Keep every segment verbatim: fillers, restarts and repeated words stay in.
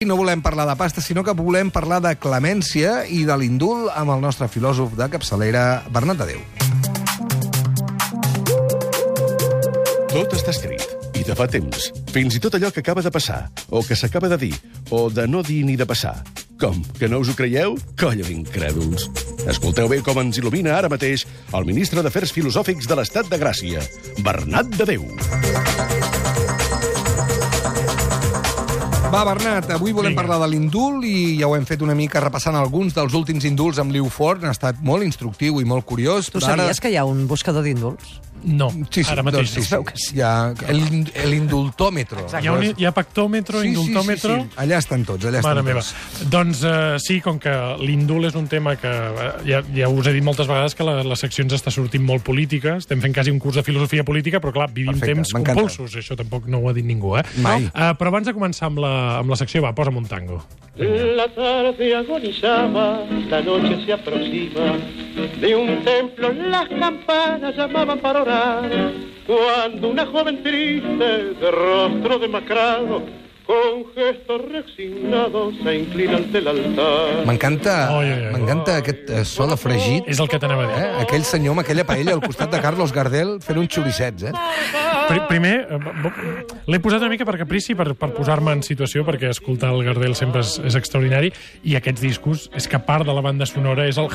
No volem parlar de pasta, sinó que volem parlar de clemència i de l'indult amb el nostre filòsof de capçalera, Bernat Adéu. Tot està escrit, i de fa temps. Fins i tot allò que acaba de passar, o que s'acaba de dir, o de no dir ni de passar. Com, que no us ho creieu? Colla d'incrèduls. Escolteu bé com ens il·lumina ara mateix el ministre d'Afers Filosòfics de l'Estat de Gràcia, Bernat Adéu. Va, Bernat, avui volem Vinga. parlar de l'indult i ja ho hem fet una mica repassant alguns dels últims indults amb Liu Fort. Ha estat molt instructiu i molt curiós. Tu però sabies ara... que hi ha un buscador d'indults? No, Sí, sí, ara mateix. doncs sí, no. sí. Es veu que sí. Hi ha el- l'indultòmetro. Hi ha, un, hi ha pactòmetro, Sí, sí, indultòmetro... sí, sí. Allà estan tots, allà estan Mare meva. tots. Doncs uh, sí, com que l'indult és un tema que uh, ja, ja us he dit moltes vegades que la, les seccions està sortint molt política, estem fent quasi un curs de filosofia política, però clar, vivim Perfecte, temps m'encanta. compulsos, això tampoc no ho ha dit ningú, eh? Mai. Uh, però abans de començar amb la, amb la secció, va, posa'm un tango. La tarde agonizaba, la noche se aproxima. De un templo las campanas llamaban para orar. Cuando una joven triste, de rostro demacrado, con gesto resignado, se inclina ante el altar. M'encanta Oi, oi, oi. m'encanta aquest eh, so de fregit. És el que t'anava a dir. Eh? Aquell senyor amb aquella paella al costat de Carlos Gardel fent uns xoricets, eh? Pri- Primer, eh, bo- l'he posat una mica per caprici, per, per posar-me en situació, perquè escoltar el Gardel sempre és, és extraordinari, i aquests discos, és que part de la banda sonora és el...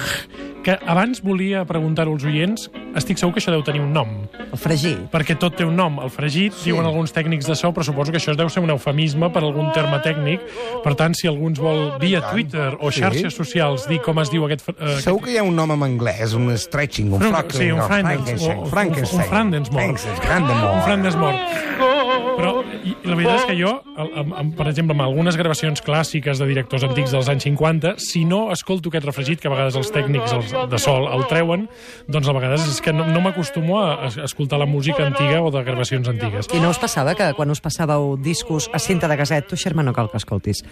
que abans volia preguntar-ho als oients, estic segur que això deu tenir un nom, El fregir. perquè tot té un nom. El fregit, sí. Diuen alguns tècnics de so, però suposo que això deu ser un eufemisme per algun terme tècnic. Per tant, si algú ens vol via Twitter o Sí. xarxes socials dir com es diu aquest... Eh, Segur que hi ha un nom en anglès, un stretching, un Però, flockling, sí, un no, Frankenstein, o- Frankenstein. un Frandensmore. Frandensmore. un Frandensmore. Però i, i la veritat és que jo, el, amb, amb, per exemple, amb algunes gravacions clàssiques de directors antics dels anys cinquanta, si no escolto aquest refregit, que a vegades els tècnics els, de sol el treuen, doncs a vegades és que no, no m'acostumo a, a escoltar la música antiga o de gravacions antigues. I no us passava que quan us passàveu discos a cinta de caset, tu, Xerma, no cal que escoltis,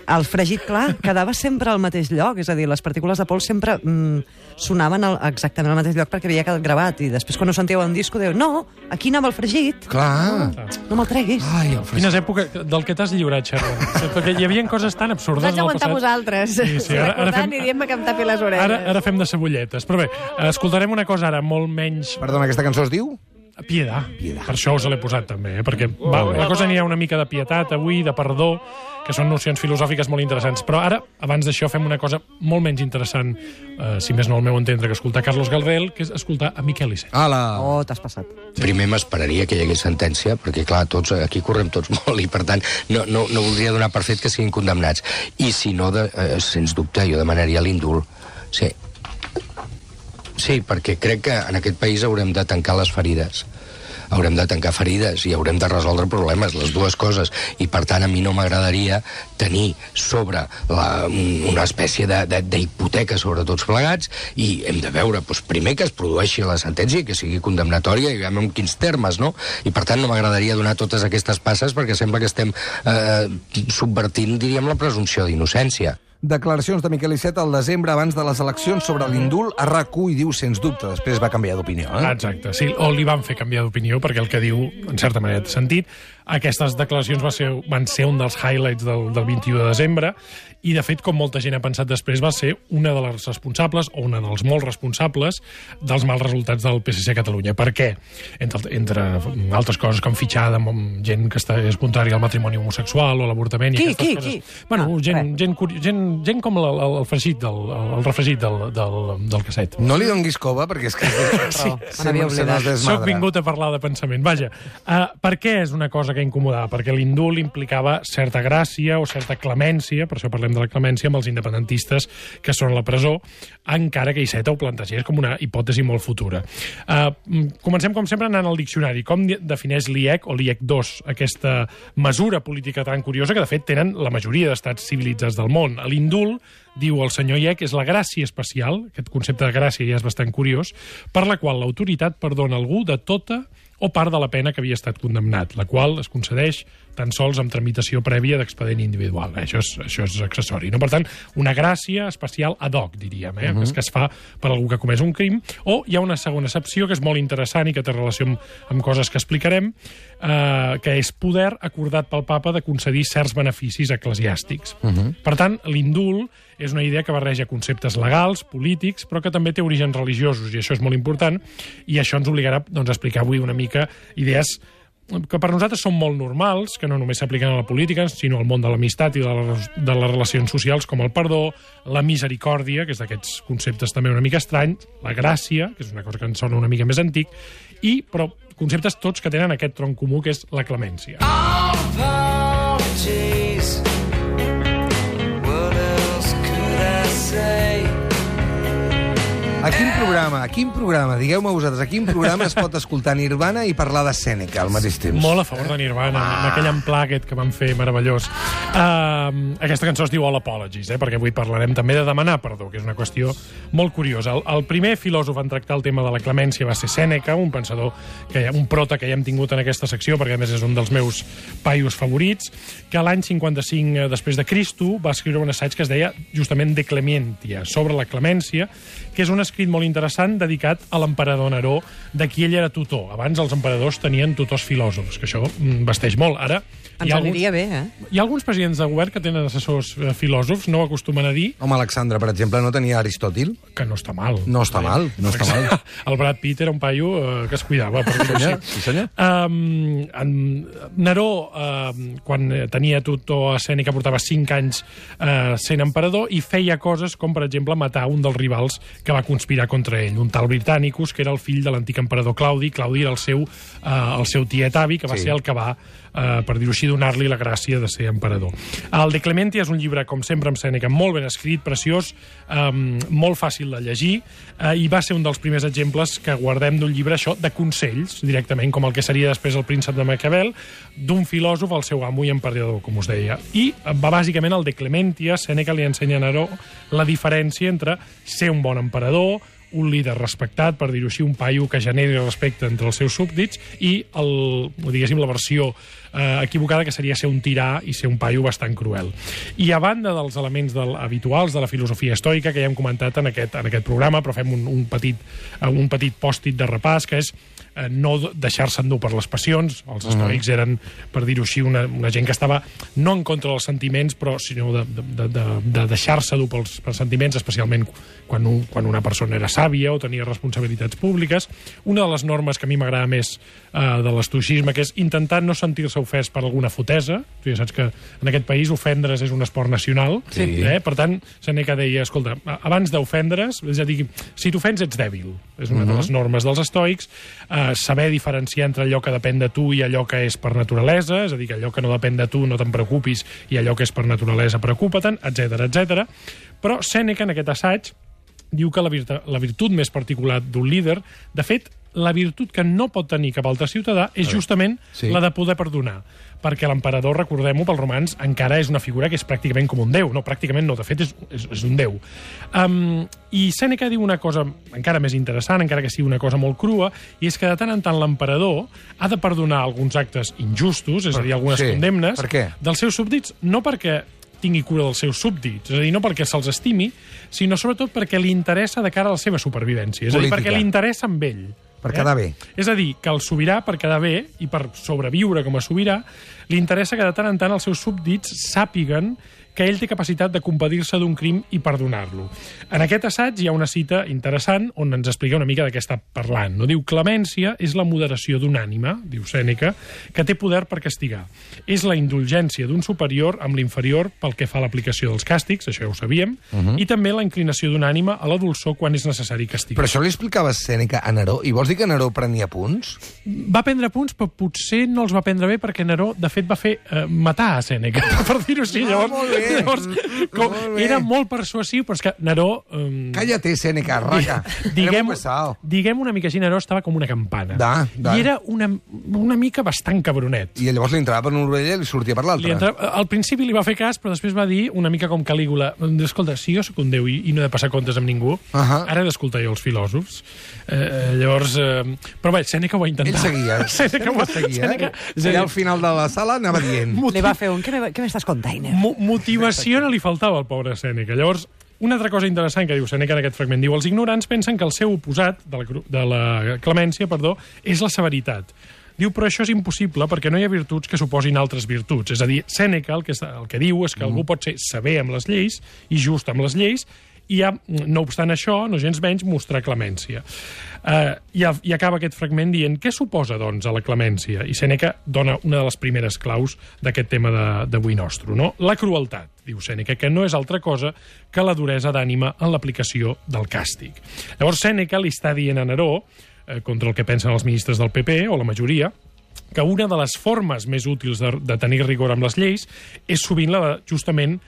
el fregit, clar, quedava sempre al mateix lloc, és a dir, les partícules de pols sempre mm, sonaven al, exactament al mateix lloc perquè havia quedat gravat, i després quan ho sentíeu en disco dieu, no, aquí anava el fregit, Clar. no me'l treguis. Ai, el fregit. Quines èpoques del que t'has lliurat, Xerra? Perquè hi havia coses tan absurdes Vaig en el aguantar passat. vosaltres, Sí, sí, ara- ara recordant fem- i dient-me que em tapi les orelles. Ara, ara fem de cebolletes. Però bé, escoltarem una cosa ara molt menys... Perdona, aquesta cançó es diu? Piedà. Piedà. Per això us l'he posat també, eh? perquè va, la cosa n'hi ha una mica de pietat avui, de perdó, que són nocions filosòfiques molt interessants. Però ara, abans d'això, fem una cosa molt menys interessant, eh, si més no al meu entendre, que escoltar Carlos Gardel, que és escoltar a Miquel Iceta. Ala. Oh, t'has passat. Primer m'esperaria que hi hagués sentència, perquè, clar, tots, aquí correm tots molt i, per tant, no, no, no voldria donar per fet que siguin condemnats. I, si no, de, eh, sens dubte, jo demanaria l'indult. Sí. Sí, perquè crec que en aquest país haurem de tancar les ferides. Haurem de tancar ferides i haurem de resoldre problemes, les dues coses. I, per tant, a mi no m'agradaria tenir sobre la, un- una espècie de- de- d'hipoteca sobre tots plegats, i hem de veure, doncs, primer que es produeixi la sentència i que sigui condemnatòria, i veiem en quins termes, no? I, per tant, no m'agradaria donar totes aquestes passes perquè sembla que estem eh, subvertint, diríem, la presumpció d'innocència. Declaracions de Miquel Iceta al desembre abans de les eleccions sobre l'indult a RAC u i diu, sens dubte, després va canviar d'opinió. Eh? Exacte, sí, o li van fer canviar d'opinió, perquè el que diu, en certa manera, té sentit. Aquestes declaracions va ser, van ser un dels highlights del, del vint-i-u de desembre, i, de fet, com molta gent ha pensat després, va ser una de les responsables, o una dels molts responsables, dels mals resultats del P S C a Catalunya. Per què? Entre, entre altres coses, com fitxada amb gent que està, és contrària al matrimoni homosexual o a l'avortament i Qui, aquestes qui, coses. qui? Bueno, Ah, gent, res. gent, curi- gent, gent com el, el, el fregit del, el, el refregit del, del, del casset. No li donguis cova, perquè és que... Sí, me n'havia se oblidat. nos desmadra. Soc vingut a parlar de pensament. Vaja, uh, per què és una cosa que incomodava? Perquè l'indult implicava certa gràcia o certa clemència, per això parlem de la clemència, amb els independentistes que són a la presó, encara que Iceta ho plantegés com una hipòtesi molt futura. Uh, comencem, com sempre, anant al diccionari. Com di- defineix l'I E C o l'I E C dos aquesta mesura política tan curiosa que, de fet, tenen la majoria d'estats civilitzats del món? L'indult, diu el senyor I E C, és la gràcia especial, aquest concepte de gràcia ja és bastant curiós, per la qual l'autoritat perdona algú de tota o part de la pena que havia estat condemnat, la qual es concedeix tan sols amb tramitació prèvia d'expedient individual. Això és, això és accessori. No? Per tant, una gràcia especial ad hoc, diríem, eh? uh-huh. que es fa per algú que ha comès un crim, o hi ha una segona excepció que és molt interessant i que té relació amb, amb coses que explicarem, eh, que és poder acordat pel papa de concedir certs beneficis eclesiàstics. Uh-huh. Per tant, l'indult és una idea que barreja conceptes legals, polítics, però que també té orígens religiosos, i això és molt important, i això ens obligarà doncs, a explicar avui una mica idees que per nosaltres són molt normals, que no només s'apliquen a la política, sinó al món de l'amistat i de, la, de les relacions socials, com el perdó, la misericòrdia, que és d'aquests conceptes també una mica estranys, la gràcia, que és una cosa que ens sona una mica més antic, i, però, conceptes tots que tenen aquest tronc comú, que és la clemència. A quin programa, a quin programa, digueu-me vosaltres, a quin programa es pot escoltar Nirvana i parlar de Sèneca al mateix temps? Molt a favor de Nirvana, ah. amb aquell emplà aquest que van fer meravellós. Uh, aquesta cançó es diu All Apologies, eh, perquè avui parlarem també de demanar perdó, que és una qüestió molt curiosa. El, el primer filòsof en tractar el tema de la clemència va ser Sèneca, un pensador, que un prota que ja hem tingut en aquesta secció, perquè a més és un dels meus paios favorits, que l'any cinquanta-cinc després de Cristo va escriure un assaig que es deia justament De Clementiâ, sobre la clemència, que és un escrit molt interessant dedicat a l'emperador Neró, de qui ell era tutor. Abans els emperadors tenien tutors filòsofs, que això vesteix molt. Ara ens aniria bé, eh? Hi ha alguns presidents de govern que tenen assessors eh, filòsofs, no ho acostumen a dir. Home, Alexandre, per exemple, no tenia Aristòtil? Que no està mal. No està mal, no està mal. El Brad Pitt era un paio eh, que es cuidava, per dir-ho així. Sí, senyor. Um, en Neró, uh, quan tenia tutor a Sèneca, portava cinc anys uh, sent emperador i feia coses com, per exemple, matar un dels rivals que va conspirar contra ell, un tal Britannicus, que era el fill de l'antic emperador Claudi. Claudi era el seu, uh, el seu tiet avi, que va sí. ser el que va, uh, per dir-ho així, donar-li la gràcia de ser emperador. El De Clementiâ és un llibre, com sempre, amb Sèneca, molt ben escrit, preciós, um, molt fàcil de llegir, uh, i va ser un dels primers exemples que guardem d'un llibre, això, de consells, directament, com el que seria després el príncep de Maquiavel, d'un filòsof al seu amo i emperador, com us deia. I va, bàsicament, el De Clementiâ, Sèneca li ensenya a Neró la diferència entre ser un bon emperador, un líder respectat, per dir-ho així, un paio que generi respecte entre els seus súbdits, i el, diguéssim, la versió eh, equivocada, que seria ser un tirà i ser un paio bastant cruel. I a banda dels elements del, habituals de la filosofia estoica, que ja hem comentat en aquest, en aquest programa, però fem un, un petit, un petit pòstit de repàs, que és eh, no deixar-se endur per les passions. Els estoics eren, per dir-ho així, una, una gent que estava no en contra dels sentiments, però sinó de, de, de, de deixar-se dur pels, pels sentiments, especialment quan, un, quan una persona era sàvia o tenia responsabilitats públiques. Una de les normes que a mi m'agrada més eh, de l'estoicisme, que és intentar no sentir-se ofès per alguna fotesa. Tu ja saps que en aquest país ofendre's és un esport nacional. Sí. Eh? Per tant, Sèneca deia, escolta, abans d'ofendre's, és a dir, si t'ofens ets dèbil. És una uh-huh. de les normes dels estoics. Eh, saber diferenciar entre allò que depèn de tu i allò que és per naturalesa, és a dir, que allò que no depèn de tu no te'n preocupis i allò que és per naturalesa preocupa-te'n, etcètera, etcètera. Però Sèneca, en aquest assaig, diu que la, virtu la virtut més particular d'un líder, de fet, la virtut que no pot tenir cap altre ciutadà és justament sí. la de poder perdonar. Perquè l'emperador, recordem-ho, pels romans, encara és una figura que és pràcticament com un déu. No, pràcticament no, de fet, és, és, és un déu. Um, I Sèneca diu una cosa encara més interessant, encara que sigui una cosa molt crua, i és que de tant en tant l'emperador ha de perdonar alguns actes injustos, és a dir, algunes sí. condemnes, per què? dels seus súbdits, no perquè tingui cura dels seus súbdits, és a dir, no perquè se'ls estimi, sinó sobretot perquè li interessa de cara a la seva supervivència, és Política. a dir, perquè li interessa amb ell. Per quedar bé. És a dir, que el sobirà, per quedar bé i per sobreviure com a sobirà, li interessa que de tant en tant els seus súbdits sàpiguen que ell té capacitat de compadir-se d'un crim i perdonar-lo. En aquest assaig hi ha una cita interessant on ens explica una mica de què està parlant. No? Diu, clemència és la moderació d'un ànima, diu Sèneca, que té poder per castigar. És la indulgència d'un superior amb l'inferior pel que fa a l'aplicació dels càstigs, això ja ho sabíem, uh -huh. i també la inclinació d'un ànima a la dolçor quan és necessari castigar. Però això li explicava Sèneca a Neró, i vols dir que Neró prenia punts? Va prendre punts, però potser no els va prendre bé perquè Neró, de fet, va fer eh, matar a Sèneca, per dir-ho així. Ah, molt bé. Llavors, com, Molt bé. era molt persuasiu, però és que Neró... Um, Cállate, Sèneca, raca. diguem, pesado. diguem una mica així, Neró estava com una campana. Da, da. I era una, una mica bastant cabronet. I llavors li entrava per una orella i li sortia per Li l'altra. entra... Al principi li va fer cas, però després va dir una mica com Calígula, escolta, si jo sóc un déu i, i no he de passar comptes amb ningú, uh Ahà. -huh. ara he d'escoltar jo els filòsofs. Eh, llavors... Eh, però bé, Sèneca ho va intentar. Ell seguia. Sèneca, ho- seguia. Sèneca, és a Allà dir, al final de la sala anava dient. Li va fer un... Què me- què m'estàs contant? mo motivació no li faltava al pobre Sèneca. Llavors, una altra cosa interessant que diu Sèneca en aquest fragment, diu, els ignorants pensen que el seu oposat de la, cru- de la clemència, perdó, és la severitat. Diu, però això és impossible perquè no hi ha virtuts que suposin altres virtuts. És a dir, Sèneca el que, el que diu és que algú pot ser sever amb les lleis i just amb les lleis i, ha, no obstant això, no gens menys, mostrar clemència. Uh, i, I acaba aquest fragment dient què suposa, doncs, a la clemència? I Sèneca dona una de les primeres claus d'aquest tema d'avui nostre, no? La crueltat, diu Sèneca, que no és altra cosa que la duresa d'ànima en l'aplicació del càstig. Llavors Sèneca li està dient a Neró, eh, contra el que pensen els ministres del P P, o la majoria, que una de les formes més útils de, de tenir rigor amb les lleis és sovint la de, justament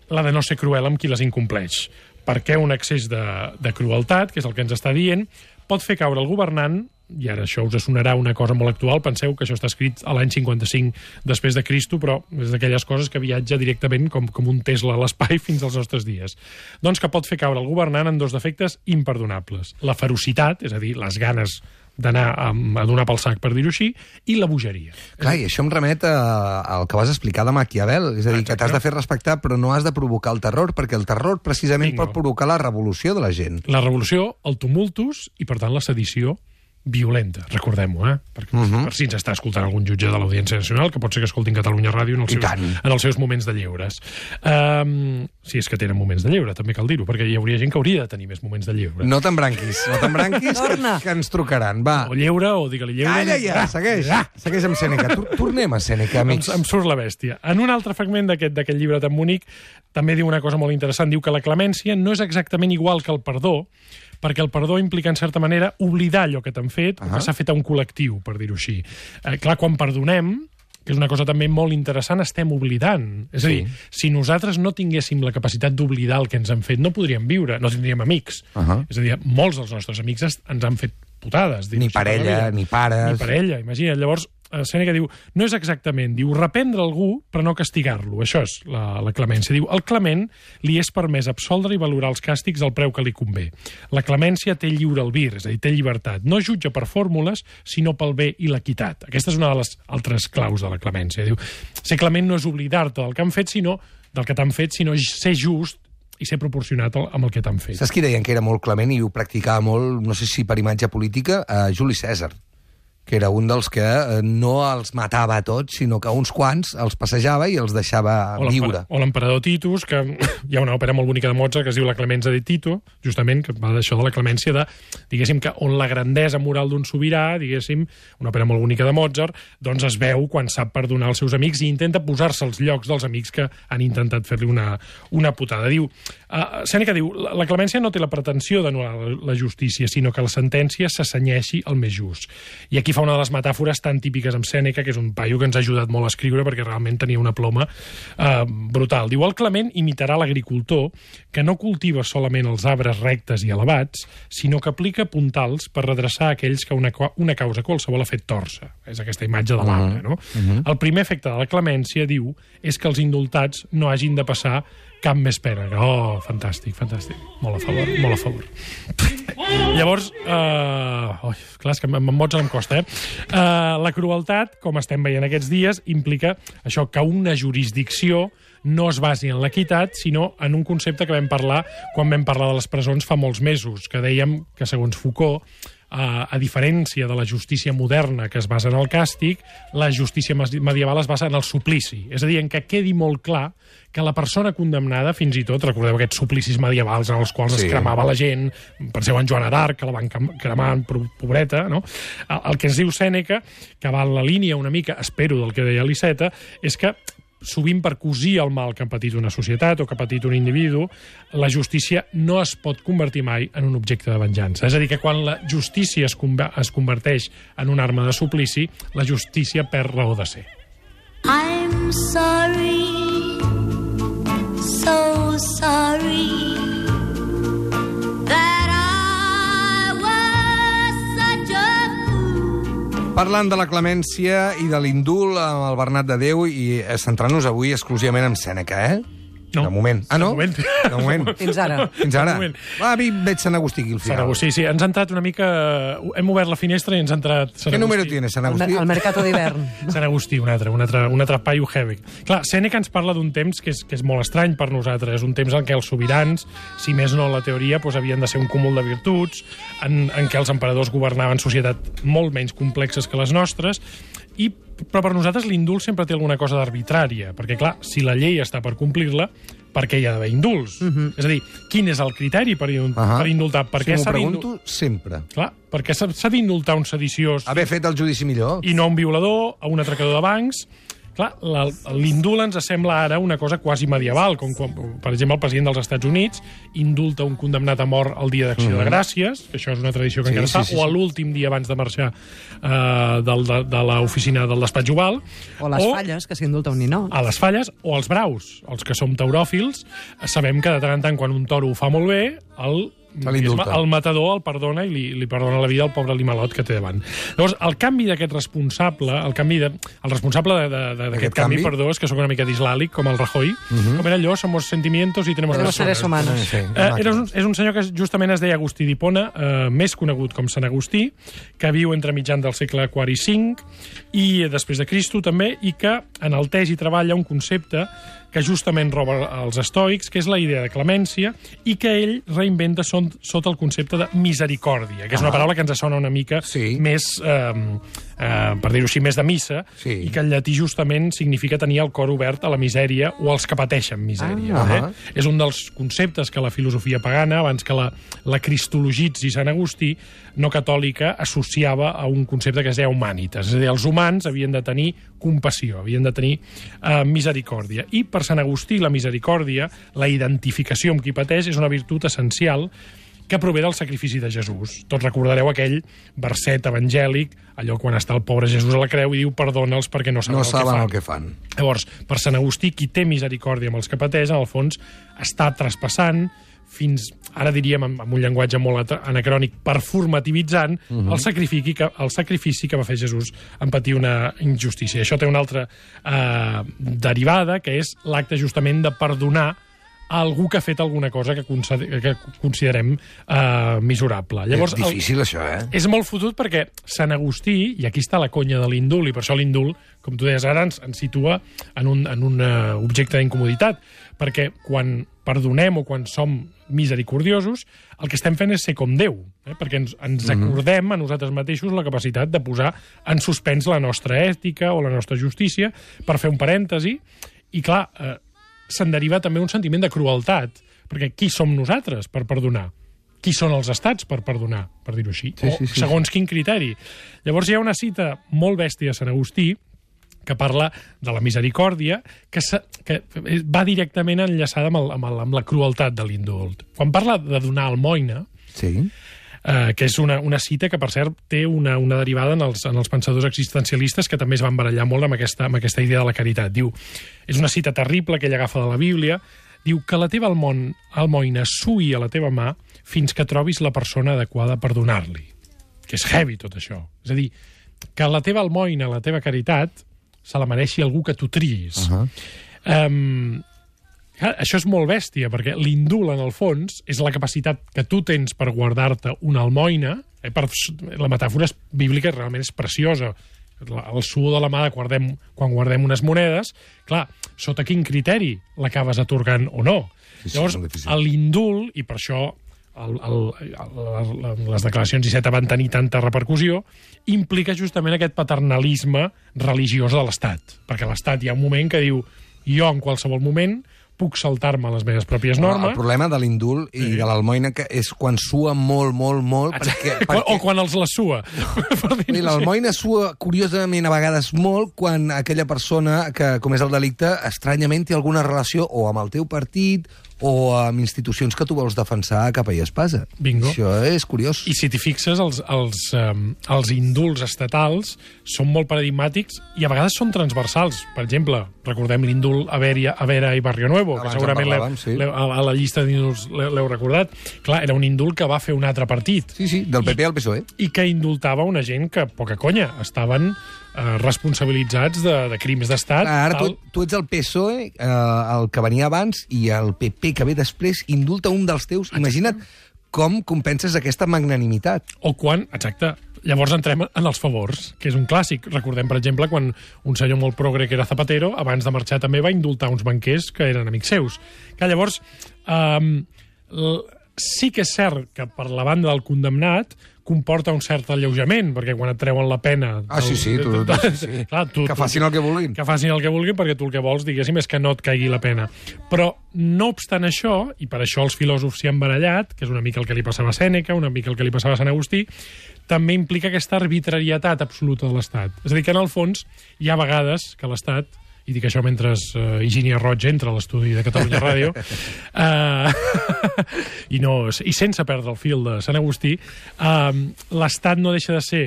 la de no ser cruel amb qui les incompleix. Perquè un excés de, de crueltat, que és el que ens està dient, pot fer caure el governant, i ara això us sonarà una cosa molt actual, penseu que això està escrit a l'any cinquanta-cinc després de Cristo, però és d'aquelles coses que viatja directament com, com un Tesla a l'espai fins als nostres dies. Doncs que pot fer caure el governant en dos defectes imperdonables. La ferocitat, és a dir, les ganes d'anar a, a donar pel sac, per dir-ho així, i la bogeria. Clar, i això em remet a, al que vas explicar de Maquiavel, és a dir, que t'has de fer respectar però no has de provocar el terror, perquè el terror precisament Bingo. pot provocar la revolució de la gent. La revolució, el tumultus i, per tant, la sedició violenta, recordem-ho, eh? Perquè uh -huh. per si ens està escoltant algun jutge de l'Audiència Nacional, que pot ser que escoltin Catalunya Ràdio en els, seus, en els seus moments de lleures. Um, si és que tenen moments de lleure, també cal dir-ho, perquè hi hauria gent que hauria de tenir més moments de lleure. No t'embranquis, no t'embranquis, que, Torna. que ens trucaran, va. O lleure, o digue-li lleure. Calla ja, Ah, segueix, ah, segueix amb Sèneca. Tor- Tornem a Sèneca, Em, amics. em surt la bèstia. En un altre fragment d'aquest d'aquest llibre tan bonic també diu una cosa molt interessant. Diu que la clemència no és exactament igual que el perdó, perquè el perdó implica, en certa manera, oblidar allò que t'han fet, uh -huh. o que s'ha fet a un col·lectiu, per dir-ho així. Eh, clar, quan perdonem, que és una cosa també molt interessant, estem oblidant. És a dir, Sí. si nosaltres no tinguéssim la capacitat d'oblidar el que ens han fet, no podríem viure, no tindríem amics. Uh -huh. És a dir, molts dels nostres amics es- ens han fet putades. Ni parella, ni pares. Ni parella, imagina't. Llavors, eh, Sèneca diu, no és exactament, diu, reprendre algú però no castigar-lo. Això és la, la clemència. Diu, al clement li és permès absoldre i valorar els càstigs al preu que li convé. La clemència té lliure albir, és a dir, té llibertat. No jutja per fórmules, sinó pel bé i l'equitat. Aquesta és una de les altres claus de la clemència. Diu, ser clement no és oblidar-te del que han fet, sinó del que t'han fet, sinó ser just i ser proporcionat amb el que t'han fet. Saps qui deien que era molt clement i ho practicava molt, no sé si per imatge política, a Juli Cèsar, que era un dels que eh, no els matava a tots, sinó que uns quants els passejava i els deixava O l'emper- viure. O l'emperador Titus, que hi ha una òpera molt bonica de Mozart que es diu La Clemenza de Tito, justament, que va d'això de la clemència, de, diguéssim, que on la grandesa moral d'un sobirà, diguéssim, una òpera molt bonica de Mozart, doncs es veu quan sap perdonar els seus amics i intenta posar-se als llocs dels amics que han intentat fer-li una, una putada. Diu, uh, Sèneca diu, la, la clemència no té la pretensió d'anul·lar la, la justícia, sinó que la sentència s'assenyeixi al més just. I aquí fa una de les metàfores tan típiques amb Sèneca, que és un paio que ens ha ajudat molt a escriure perquè realment tenia una ploma eh, brutal. Diu, el clement imitarà l'agricultor que no cultiva solament els arbres rectes i elevats, sinó que aplica puntals per redreçar aquells que una, una causa qualsevol ha fet torça. És aquesta imatge de l'arbre, no? Uh-huh. El primer efecte de la clemència, diu, és que els indultats no hagin de passar cap més pena. Oh, fantàstic, fantàstic. Molt a favor, molt a favor. Llavors, eh, oh, clar, és que amb Mozart em costa, eh? eh? La crueltat, com estem veient aquests dies, implica això, que una jurisdicció no es basi en l'equitat, sinó en un concepte que vam parlar quan vam parlar de les presons fa molts mesos, que dèiem que, segons Foucault, a, a diferència de la justícia moderna que es basa en el càstig, la justícia medieval es basa en el suplici. És a dir, en què quedi molt clar que la persona condemnada, fins i tot, recordeu aquests suplicis medievals en els quals sí. es cremava la gent, penseu en Joana d'Arc, que la van cremar, pobreta, no? El que ens diu Sèneca, que va en la línia una mica, espero, del que deia l'Iceta, és que sovint per cosir el mal que ha patit una societat o que ha patit un individu, la justícia no es pot convertir mai en un objecte de venjança. És a dir, que quan la justícia es, es converteix en una arma de suplici, la justícia perd raó de ser. I'm sorry, Parlant de la clemència i de l'indult amb el Bernat de Déu i centrant-nos avui exclusivament en Sèneca, eh? No. De moment. Ah, no? De moment. De moment. Fins ara. Fins ara. De moment. Va, a mi veig Sant Agustí aquí al Sant final. Agustí, sí. Ens ha entrat una mica... Hem obert la finestra i ens ha entrat Sant Què Agustí. número tienes, Sant El, Agustí? el mercato d'hivern. Sant Agustí, un altre, un altre, un altre paio heavy. Clar, Sèneca ens parla d'un temps que és, que és molt estrany per nosaltres, un temps en què els sobirans, si més no la teoria, doncs havien de ser un cúmul de virtuts, en, en què els emperadors governaven societats molt menys complexes que les nostres, i, però per nosaltres l'indult sempre té alguna cosa d'arbitrària, perquè clar, si la llei està per complir-la, per què hi ha d'haver indults? Uh -huh. És a dir, quin és el criteri per, uh -huh. per indultar? Per Si què m'ho s'ha pregunto d'indultar? sempre. Clar, per què s'ha s'ha d'indultar un sediciós Haver fet el judici millor. i no un violador, a un atracador de bancs? Clar, la- l'indult ens sembla ara una cosa quasi medieval, com quan, per exemple, el president dels Estats Units indulta un condemnat a mort el dia d'Acció mm-hmm. de Gràcies, que això és una tradició que Sí, encara sí, està, sí, o a sí. l'últim dia abans de marxar eh, del, de, de l'oficina del despatx oval. O les falles, que s'indulta un ninot. A les falles o als braus. Els que som tauròfils sabem que de tant en tant, quan un toro ho fa molt bé, el Se l'indulta. el matador el perdona i li, li perdona la vida al pobre animalot que té davant. Llavors, el canvi d'aquest responsable, el canvi de, el responsable de- de- de- d'aquest canvi, canvi? perdó, és que sóc una mica dislàlic, com el Rajoy, com era allò, somos sentimientos y tenemos Tenemos seres personas. humanos. Sí, Eh, era un, és un senyor que justament es deia Agustí d'Hipona, eh, més conegut com Sant Agustí, que viu entre mitjan del segle quart i cinc i eh, després de Cristo també, i que enalteix i treballa un concepte que justament roba els estoics, que és la idea de clemència, i que ell reinventa son, sota el concepte de misericòrdia, que és una paraula que ens sona una mica Sí. més, eh, eh, per dir-ho així, més de missa, Sí. i que en llatí justament significa tenir el cor obert a la misèria o als que pateixen misèria. Ah. eh? És un dels conceptes que la filosofia pagana, abans que la, la cristologitzi Sant Agustí, no catòlica, associava a un concepte que es deia humanitas. És a dir, els humans havien de tenir compassió, havien de tenir eh, misericòrdia. I per Sant Agustí la misericòrdia, la identificació amb qui pateix, és una virtut essencial que prové del sacrifici de Jesús. Tots recordareu aquell verset evangèlic, allò quan està el pobre Jesús a la creu i diu perdona'ls perquè no saben, No el, saben que fan. el que fan. Llavors, per Sant Agustí, qui té misericòrdia amb els que pateix, en el fons, està traspassant fins, ara diríem amb, amb un llenguatge molt at- anacrònic, performativitzant uh -huh. el, sacrifici que, el sacrifici que va fer Jesús en patir una injustícia. Això té una altra eh, derivada, que és l'acte justament de perdonar a algú que ha fet alguna cosa que, consider que considerem eh, miserable. Llavors, És difícil, això, eh? és molt fotut perquè Sant Agustí, i aquí està la conya de l'indult, i per això l'indult, com tu deies ara, ens, ens situa en un, en un uh, objecte d'incomoditat, perquè quan perdonem o quan som misericordiosos, el que estem fent és ser com Déu, eh? perquè ens, ens acordem a nosaltres mateixos la capacitat de posar en suspens la nostra ètica o la nostra justícia per fer un parèntesi, i clar, eh, se'n deriva també un sentiment de crueltat, perquè qui som nosaltres per perdonar? Qui són els estats per perdonar, per dir-ho així? Sí, sí, o sí, segons quin criteri? Llavors hi ha una cita molt bèstia a Sant Agustí que parla de la misericòrdia, que, se, que va directament enllaçada amb, el, amb, el, amb la crueltat de l'indult. Quan parla de donar almoina, Sí. eh, que és una, una cita que, per cert, té una, una derivada en els, en els pensadors existencialistes que també es van barallar molt amb aquesta, amb aquesta idea de la caritat. Diu, és una cita terrible que ell agafa de la Bíblia, diu que la teva almon, almoina sui a la teva mà fins que trobis la persona adequada per donar-li. Que és heavy, tot això. És a dir, que la teva almoina, la teva caritat, se la mereixi algú que tu triïs. Uh -huh. Um, clar, això és molt bèstia, perquè l'indult, en el fons, és la capacitat que tu tens per guardar-te una almoina. Eh, per, la metàfora és bíblica realment és preciosa. La- El suor de la mà de guardem, quan guardem unes monedes, clar, sota quin criteri l'acabes atorgant o no? Sí, sí, Llavors, molt difícil. l'indult, i per això el, el, el, les declaracions Iceta van tenir tanta repercussió, implica justament aquest paternalisme religiós de l'Estat. Perquè l'Estat hi ha un moment que diu jo en qualsevol moment puc saltar-me les meves pròpies normes. El problema de l'indult i de l'almoina que és quan sua molt, molt, molt, perquè... Quan- perquè... O quan els la sua. per dir-ho I així. l'almoina sua, curiosament, a vegades molt, quan aquella persona que comés el delicte estranyament té alguna relació o amb el teu partit o amb institucions que tu vols defensar a capa i espasa. Bingo. Això és curiós. I si t'hi fixes, els, els, um, els indults estatals són molt paradigmàtics i a vegades són transversals. Per exemple, recordem l'indult a Vera, a Vera i Barrio Nuevo, Nuevo, Abans que segurament en l'heu- parlàvem, sí. l'heu- a a la llista d'indults l'heu l'heu recordat. Clar, era un indult que va fer un altre partit. Sí, sí, del P P al P S O E. I que indultava una gent que, poca conya, estaven eh, responsabilitzats de, de crims d'estat. Clar, ara tal- tu, tu ets el P S O E, eh, el que venia abans, i el P P que ve després indulta un dels teus. Imagina't com compenses aquesta magnanimitat. O quan, exacte, llavors entrem en els favors, que és un clàssic. Recordem, per exemple, quan un senyor molt progre que era Zapatero, abans de marxar també va indultar uns banquers que eren amics seus. Que llavors, eh, sí que és cert que per la banda del condemnat comporta un cert alleujament, perquè quan et treuen la pena... Ah, sí, sí, tu, tu, sí, sí. Clar, tu, Que facin el que vulguin. Que facin el que vulguin, perquè tu el que vols, diguéssim, és que no et caigui la pena. Però, no obstant això, i per això els filòsofs s'hi han barallat, que és una mica el que li passava a Sèneca, una mica el que li passava a Sant Agustí, també implica aquesta arbitrarietat absoluta de l'Estat. És a dir, que en el fons hi ha vegades que l'Estat, i dic això mentre uh, Higínia Roig entra a l'estudi de Catalunya Ràdio, uh, i, no, i sense perdre el fil de Sant Agustí, uh, l'Estat no deixa de ser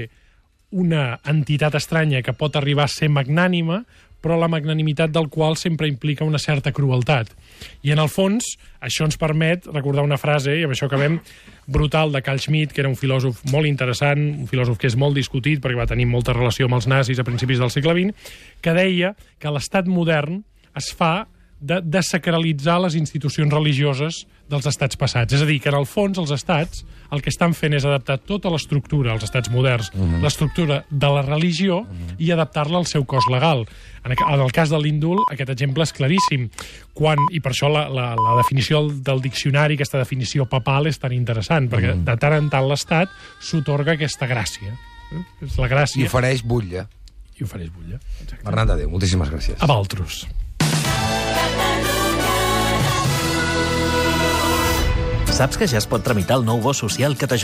una entitat estranya que pot arribar a ser magnànima, però la magnanimitat del qual sempre implica una certa crueltat. I en el fons, això ens permet recordar una frase, i amb això acabem, brutal, de Carl Schmitt, que era un filòsof molt interessant, un filòsof que és molt discutit perquè va tenir molta relació amb els nazis a principis del segle vint, que deia que l'estat modern es fa de desacralitzar les institucions religioses dels estats passats. És a dir, que en el fons els estats el que estan fent és adaptar tota l'estructura, els estats moderns, mm-hmm. l'estructura de la religió mm-hmm. i adaptar-la al seu cos legal. En el cas de l'indult, aquest exemple és claríssim. Quan, i per això la, la, la definició del, del diccionari, aquesta definició papal, és tan interessant, perquè mm-hmm. de tant en tant l'Estat s'otorga aquesta gràcia. Eh? És la gràcia. I ofereix butlla. I ofereix butlla. Exacte. Bernat de Déu, moltíssimes gràcies. A Valtros. Saps que ja es pot tramitar el nou bo social que t'ajuda